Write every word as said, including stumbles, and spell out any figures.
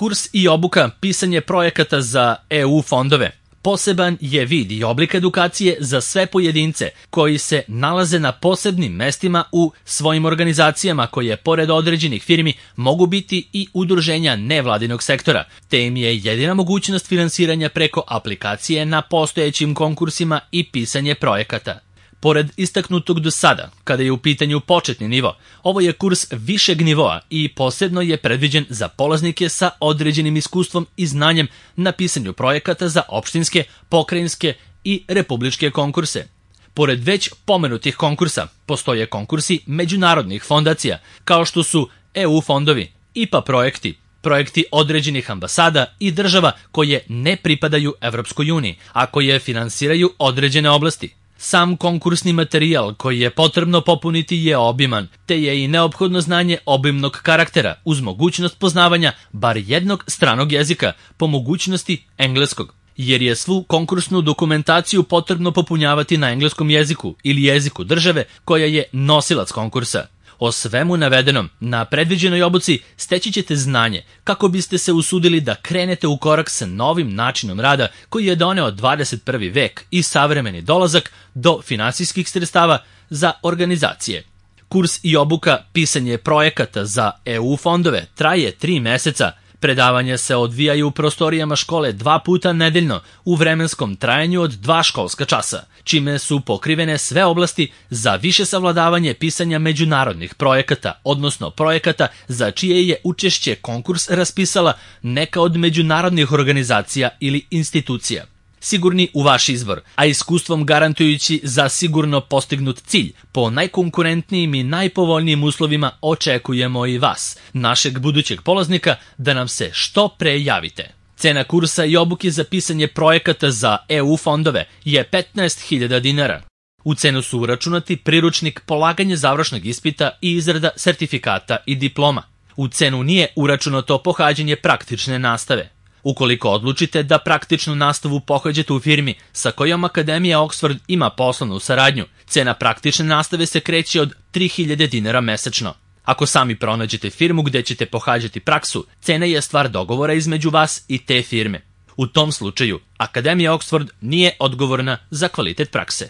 Kurs i obuka pisanje projekata za E U fondove poseban je vid i oblik edukacije za sve pojedince koji se nalaze na posebnim mestima u svojim organizacijama koje, pored određenih firmi, mogu biti i udruženja nevladinog sektora, te im je jedina mogućnost finansiranja preko aplikacije na postojećim konkursima i pisanje projekata. Pored istaknutog do sada, kada je u pitanju početni nivo, ovo je kurs višeg nivoa i posebno je predviđen za polaznike sa određenim iskustvom i znanjem na pisanju projekata za opštinske, pokrajinske i republičke konkurse. Pored već pomenutih konkursa, postoje konkursi međunarodnih fondacija, kao što su E U fondovi, I P A projekti, projekti određenih ambasada i država koje ne pripadaju Evropskoj uniji, a koje finansiraju određene oblasti. Sam konkursni materijal koji je potrebno popuniti je obiman, te je i neophodno znanje obimnog karaktera uz mogućnost poznavanja bar jednog stranog jezika, po mogućnosti engleskog, jer je svu konkursnu dokumentaciju potrebno popunjavati na engleskom jeziku ili jeziku države koja je nosilac konkursa. O svemu navedenom, na predviđenoj obuci steći ćete znanje kako biste se usudili da krenete u korak sa novim načinom rada koji je doneo dvadeset prvi vek i savremeni dolazak do finansijskih sredstava za organizacije. Kurs i obuka pisanje projekata za E U fondove traje tri meseca. Predavanja se odvijaju u prostorijama škole dva puta nedeljno u vremenskom trajanju od dva školska časa, čime su pokrivene sve oblasti za više savladavanje pisanja međunarodnih projekata, odnosno projekata za čije je učešće konkurs raspisala neka od međunarodnih organizacija ili institucija. Sigurni u vaš izbor, a iskustvom garantujući za sigurno postignut cilj, po najkonkurentnijim i najpovoljnijim uslovima očekujemo i vas, našeg budućeg polaznika, da nam se što pre javite. Cena kursa i obuke za pisanje projekata za E U fondove je petnaest hiljada dinara. U cenu su uračunati priručnik, polaganje završnog ispita i izrada sertifikata i diploma. U cenu nije uračunato pohađanje praktične nastave. Ukoliko odlučite da praktičnu nastavu pohađate u firmi sa kojom Akademija Oxford ima poslovnu saradnju, cena praktične nastave se kreće od tri hiljade dinara mesečno. Ako sami pronađete firmu gde ćete pohađati praksu, cena je stvar dogovora između vas i te firme. U tom slučaju, Akademija Oxford nije odgovorna za kvalitet prakse.